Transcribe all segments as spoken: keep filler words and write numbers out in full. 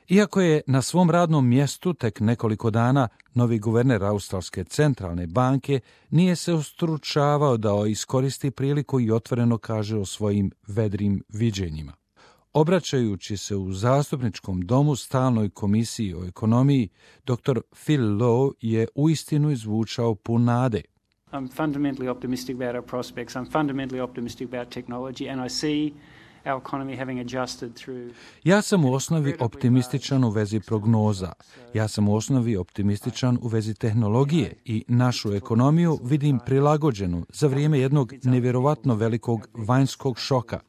Iako je na svom radnom mjestu tek nekoliko dana, novi guverner Australske centralne banke nije se ustručavao da iskoristi priliku i otvoreno kaže o svojim vedrim viđenjima. Obraćajući se u zastupničkom domu stalnoj komisiji o ekonomiji, doktor Phil Lowe je uistinu izvučao pun nade. I'm fundamentally optimistic about our prospects. I'm fundamentally optimistic about technology and I see our economy having adjusted through... Ja sam u osnovi optimističan u vezi prognoza. Ja sam u osnovi optimističan u vezi tehnologije i našu ekonomiju vidim prilagođenu za vrijeme jednog nevjerovatno velikog vanjskog šoka.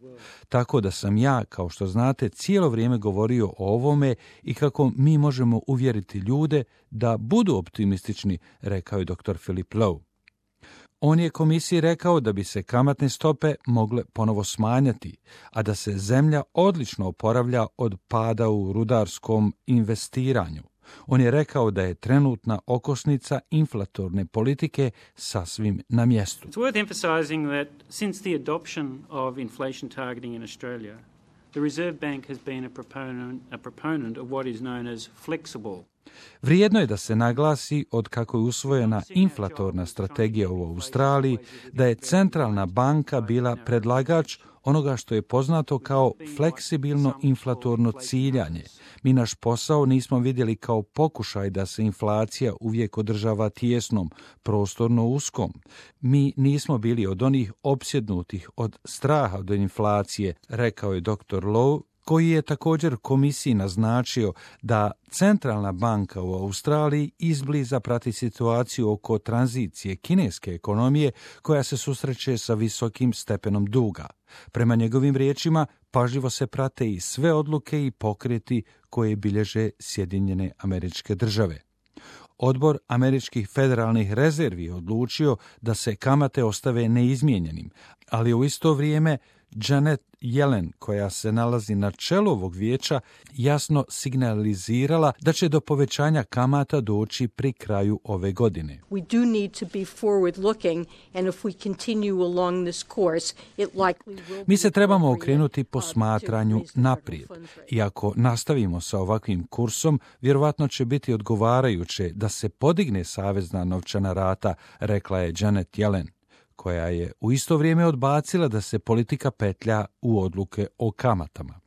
Tako da sam ja, kao što znate, cijelo vrijeme govorio o ovome i kako mi možemo uvjeriti ljude da budu optimistični, rekao je doktor Philip Lowe. On je komisiji rekao da bi se kamatne stope mogle ponovo smanjati, a da se zemlja odlično oporavlja od pada u rudarskom investiranju. On je rekao da je trenutna okosnica inflatorne politike sasvim na mjestu. It's worth emphasizing that since the adoption of inflation targeting in Australia, the Reserve Bank has been a proponent, a proponent of what is known as flexible. Vrijedno je da se naglasi od kako je usvojena inflatorna strategija u Australiji, da je centralna banka bila predlagač onoga što je poznato kao fleksibilno inflatorno ciljanje. Mi naš posao nismo vidjeli kao pokušaj da se inflacija uvijek održava tijesnom, prostorno uskom. Mi nismo bili od onih opsjednutih od straha od inflacije, rekao je doktor Lowe, koji je također komisiji naznačio da centralna banka u Australiji izbliza prati situaciju oko tranzicije kineske ekonomije koja se susreće sa visokim stepenom duga. Prema njegovim riječima, pažljivo se prate i sve odluke i pokreti koje bilježe Sjedinjene Američke Države. Odbor američkih federalnih rezervi je odlučio da se kamate ostave neizmijenjenim, ali u isto vrijeme Janet Yellen, koja se nalazi na čelu ovog vijeća, jasno signalizirala da će do povećanja kamata doći pri kraju ove godine. We do need to be forward looking and if we continue along this course, it likely will be... Mi se trebamo okrenuti posmatranju naprijed. I ako nastavimo sa ovakvim kursom, vjerovatno će biti odgovarajuće da se podigne savezna novčana rata, rekla je Janet Yellen, koja je u isto vrijeme odbacila da se politika petlja u odluke o kamatama.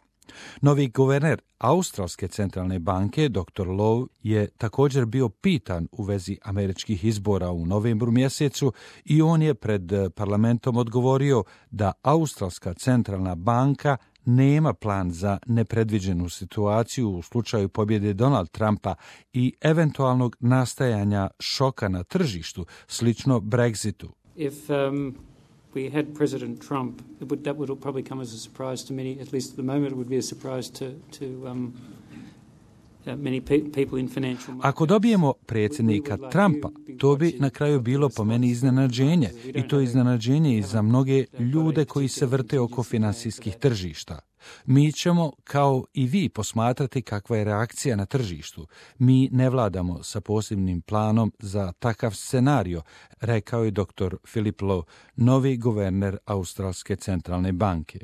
Novi guverner Australske centralne banke, doktor Lowe, je također bio pitan u vezi američkih izbora u novembru mjesecu i on je pred parlamentom odgovorio da Australska centralna banka nema plan za nepredviđenu situaciju u slučaju pobjede Donald Trumpa i eventualnog nastajanja šoka na tržištu, slično Brexitu. If um, we had President Trump, it would, that would probably come as a surprise to many, at least at the moment it would be a surprise to, to um, uh, many pe- people in financial markets. Ako dobijemo predsjednika Trumpa, to bi na kraju bilo po meni iznenađenje i to iznenađenje i za mnoge ljude koji se vrte oko financijskih tržišta. Mi ćemo, kao i vi, posmatrati kakva je reakcija na tržištu. Mi ne vladamo sa posebnim planom za takav scenario, rekao je doktor Philip Lowe, novi guverner Australske centralne banke.